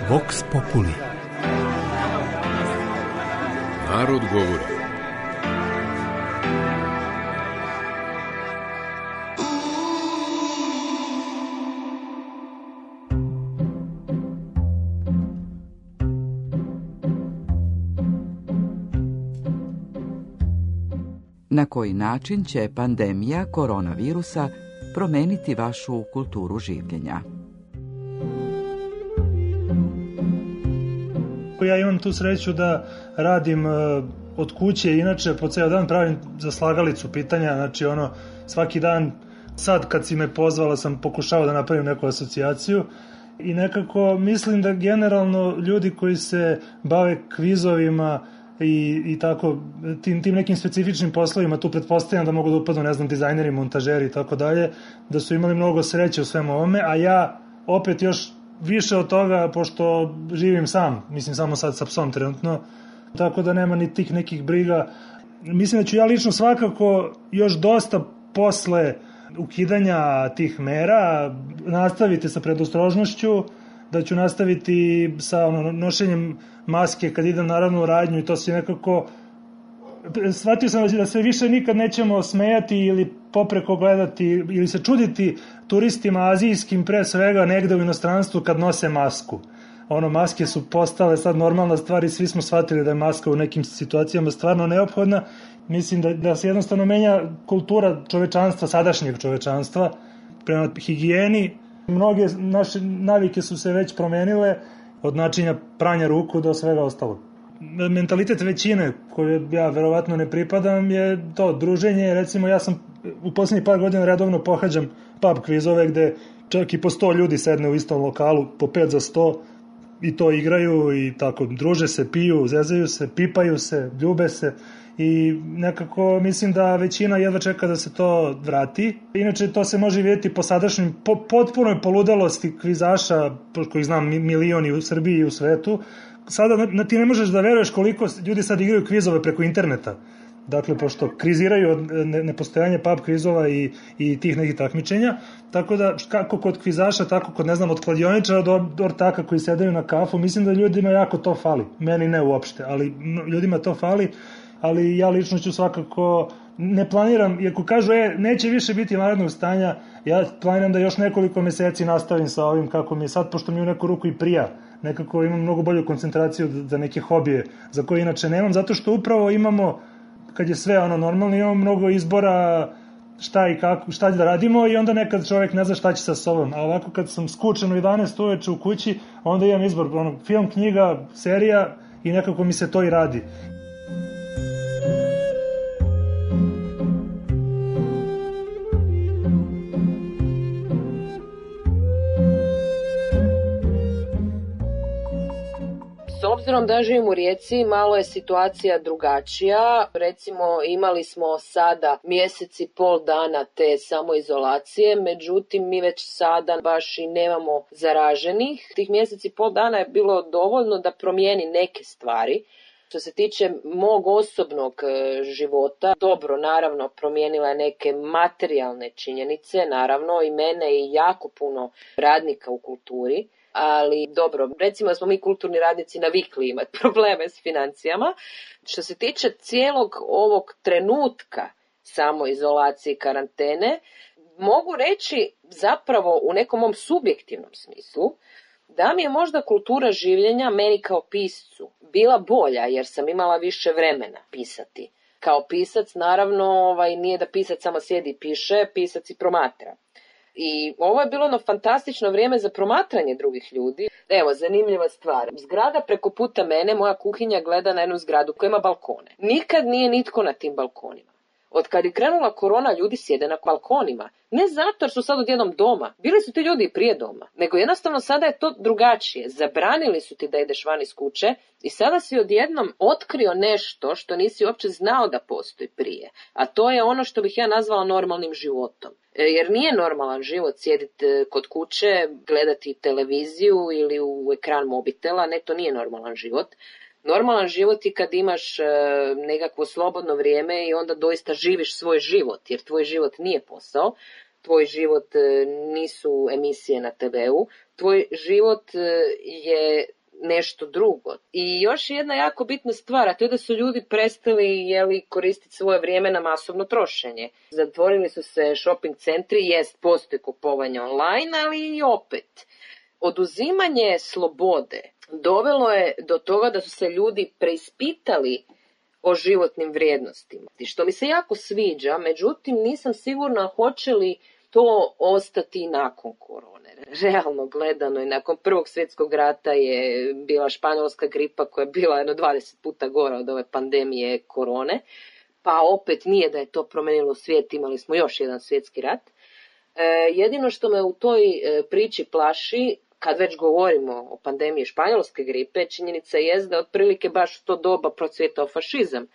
Vox Populi. Narod govori. Na koji način će pandemija koronavirusa promeniti vašu kulturu življenja? Ja imam tu sreću da radim od kuće, inače po ceo dan pravim za slagalicu pitanja, znači svaki dan, sad kad si me pozvala sam pokušao da napravim neku asocijaciju i nekako mislim da generalno ljudi koji se bave kvizovima i tako tim nekim specifičnim poslovima, tu pretpostavljam da mogu da upadnu, ne znam, dizajneri, montažeri i tako dalje, da su imali mnogo sreće u svemu ovome, a ja opet još više od toga, pošto živim sam, mislim samo sad sa psom trenutno, tako da nema ni tih nekih briga. Mislim da ću ja lično svakako još dosta posle ukidanja tih mera nastaviti sa predostrožnošću, da ću nastaviti sa nošenjem maske kad idem naravno u radnju i to se nekako... Shvatio sam da se više nikad nećemo smejati ili popreko gledati ili se čuditi turistima azijskim pre svega negde u inostranstvu kad nose masku. Maske su postale sad normalna stvar i svi smo shvatili da je maska u nekim situacijama stvarno neophodna. Mislim da se jednostavno menja kultura čovečanstva, sadašnjeg čovečanstva prema higijeni. Mnoge naše navike su se već promenile od načina pranja ruku do svega ostalog. Mentalitet većine koje ja verovatno ne pripadam je to druženje. Recimo ja sam u poslednjih par godina redovno pohađam pub kvizove gde čak i po 100 ljudi sedne u istom lokalu, po 5 za 100 i to igraju i tako druže se, piju, zezaju se, pipaju se, ljube se i nekako mislim da većina jedva čeka da se to vrati. Inače to se može vidjeti po sadašnjim potpunoj poludelosti kvizaša, kojih znam milioni u Srbiji i u svetu. Sada ti ne možeš da veruješ koliko ljudi sad igraju kvizove preko interneta. Dakle, pošto kriziraju od nepostojanja pub kvizova i tih nekih takmičenja, tako da kako kod kvizaša, tako kod, ne znam, od kladioničara do ortaka koji sedaju na kafu, mislim da ljudima jako to fali. Meni ne uopšte, ali ljudima to fali, ali ja lično ću svakako, ne planiram, iako kažu, neće više biti vanrednog stanja, ja planiram da još nekoliko meseci nastavim sa ovim kako mi je sad, pošto mi u neku ruku i prija. Nekako imam mnogo bolju koncentraciju za neke hobije za koje inače nemam, zato što upravo imamo, kad je sve normalno, imamo mnogo izbora šta i kako, šta da radimo i onda nekad čovjek ne zna šta će sa sobom. A ovako kad sam skučen u 11 uveče u kući, onda imam izbor, film, knjiga, serija i nekako mi se to i radi. S obzirom da živim u Rijeci, malo je situacija drugačija. Recimo, imali smo sada mjesec i pol dana te samoizolacije, međutim, mi već sada baš i nemamo zaraženih. Tih mjesec i pol dana je bilo dovoljno da promijeni neke stvari. Što se tiče mog osobnog života, dobro, naravno, promijenila je neke materijalne činjenice, naravno, i mene i jako puno radnika u kulturi. Ali dobro, recimo da smo mi kulturni radnici navikli imati probleme s financijama. Što se tiče cijelog ovog trenutka samoizolacije i karantene, mogu reći zapravo u nekom mom subjektivnom smislu da mi je možda kultura življenja meni kao piscu bila bolja jer sam imala više vremena pisati. Kao pisac naravno nije da pisac samo sjedi i piše, pisac i promatra. I ovo je bilo fantastično vrijeme za promatranje drugih ljudi. Evo, zanimljiva stvar. Zgrada preko puta mene, moja kuhinja gleda na jednu zgradu koja ima balkone. Nikad nije nitko na tim balkonima. Od kad je krenula korona, ljudi sjede na balkonima. Ne zato jer su sad odjednom doma. Bili su ti ljudi i prije doma. Nego jednostavno sada je to drugačije. Zabranili su ti da ideš van iz kuće i sada si odjednom otkrio nešto što nisi uopće znao da postoji prije. A to je ono što bih ja nazvala normalnim životom. Jer nije normalan život sjediti kod kuće, gledati televiziju ili u ekran mobitela. Ne, to nije normalan život. Normalan život je kad imaš nekakvo slobodno vrijeme i onda doista živiš svoj život, jer tvoj život nije posao, tvoj život nisu emisije na TV-u, tvoj život je nešto drugo. I još jedna jako bitna stvar, a to je da su ljudi prestali koristiti svoje vrijeme na masovno trošenje. Zatvorili su se shopping centri, postoji kupovanje online, ali i opet. Oduzimanje slobode dovelo je do toga da su se ljudi preispitali o životnim vrijednostima. Što mi se jako sviđa, međutim nisam sigurna hoće li to ostati nakon korone. Realno gledano i nakon Prvog svjetskog rata je bila španjolska gripa koja je bila 20 puta gora od ove pandemije korone. Pa opet nije da je to promenilo svijet, imali smo još jedan svjetski rat. Jedino što me u toj priči plaši, kad već govorimo o pandemiji španjolske gripe, činjenica je da otprilike baš u to doba procvjetao fašizam.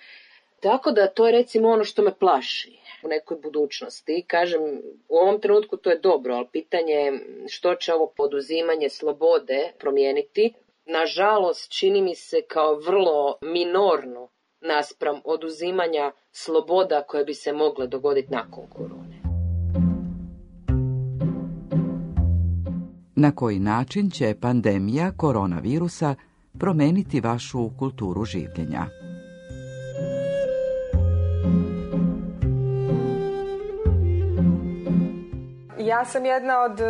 Tako da to je recimo ono što me plaši u nekoj budućnosti. Kažem, u ovom trenutku to je dobro, ali pitanje je što će ovo poduzimanje slobode promijeniti. Nažalost, čini mi se kao vrlo minorno naspram oduzimanja sloboda koje bi se mogle dogoditi nakon korone. Na koji način će pandemija koronavirusa promeniti vašu kulturu življenja? Ja sam jedna od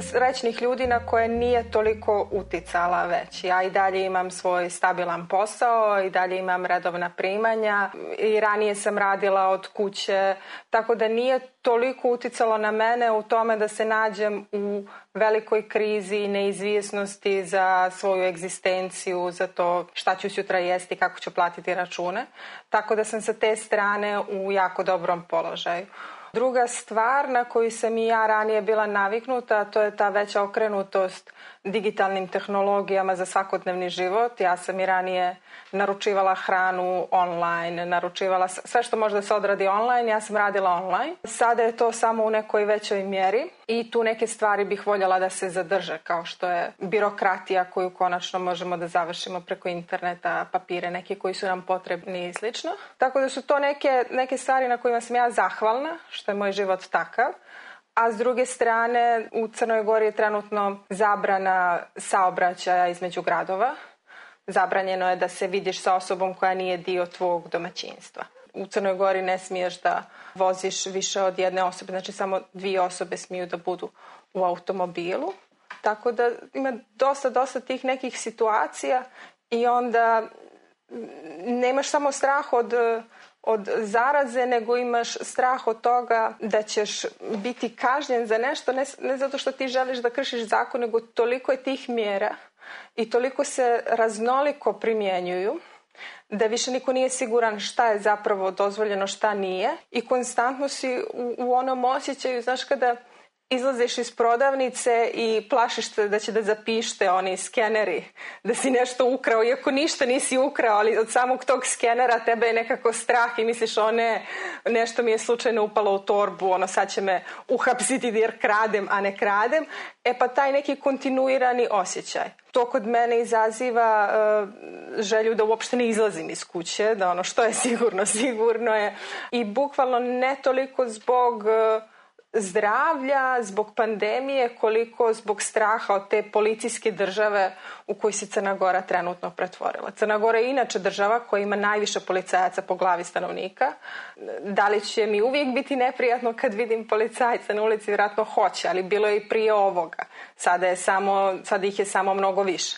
srećnih ljudi na koje nije toliko uticala već. Ja i dalje imam svoj stabilan posao, i dalje imam redovna primanja i ranije sam radila od kuće, tako da nije toliko uticalo na mene u tome da se nađem u velikoj krizi i neizvjesnosti za svoju egzistenciju, za to šta ću sutra jesti, kako ću platiti račune. Tako da sam sa te strane u jako dobrom položaju. Druga stvar na koju sam i ja ranije bila naviknuta, to je ta veća okrenutost digitalnim tehnologijama za svakodnevni život. Ja sam i ranije naručivala hranu online, naručivala sve što može da se odradi online, ja sam radila online. Sada je to samo u nekoj većoj mjeri i tu neke stvari bih voljela da se zadrže, kao što je birokratija koju konačno možemo da završimo preko interneta, papire neke koji su nam potrebni i slično. Tako da su to neke stvari na kojima sam ja zahvalna, što je moj život takav. A s druge strane, u Crnoj Gori je trenutno zabrana saobraćaja između gradova. Zabranjeno je da se vidiš sa osobom koja nije dio tvog domaćinstva. U Crnoj Gori ne smiješ da voziš više od jedne osobe, znači samo 2 osobe smiju da budu u automobilu. Tako da ima dosta tih nekih situacija i onda nemaš samo strah od zaraze, nego imaš strah od toga da ćeš biti kažnjen za nešto, ne zato što ti želiš da kršiš zakon, nego toliko je tih mjera i toliko se raznoliko primjenjuju da više niko nije siguran šta je zapravo dozvoljeno, šta nije, i konstantno si u onom osjećaju, znaš, kada izlaziš iz prodavnice i plašiš se da će da zapište oni skeneri, da si nešto ukrao, iako ništa nisi ukrao, ali od samog tog skenera tebe je nekako strah i misliš, nešto mi je slučajno upalo u torbu, sad će me uhapsiti jer kradem, a ne kradem. Pa taj neki kontinuirani osjećaj. To kod mene izaziva želju da uopšte ne izlazim iz kuće, da što je sigurno je. I bukvalno ne toliko zbog zdravlja, zbog pandemije, koliko zbog straha od te policijske države u kojoj se Crna Gora trenutno pretvorila. Crna Gora je inače država koja ima najviše policajaca po glavi stanovnika. Da li će mi uvijek biti neprijatno kad vidim policajca na ulici? Vjerojatno hoće, ali bilo je i prije ovoga. Sada ih je samo mnogo više.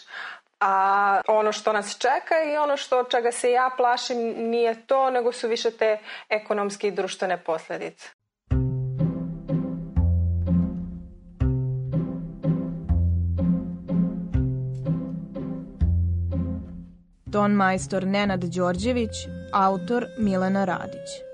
A ono što nas čeka i ono čega se ja plašim nije to, nego su više te ekonomske i društvene posljedice. Ton majstor Nenad Đorđević, autor Milena Radić.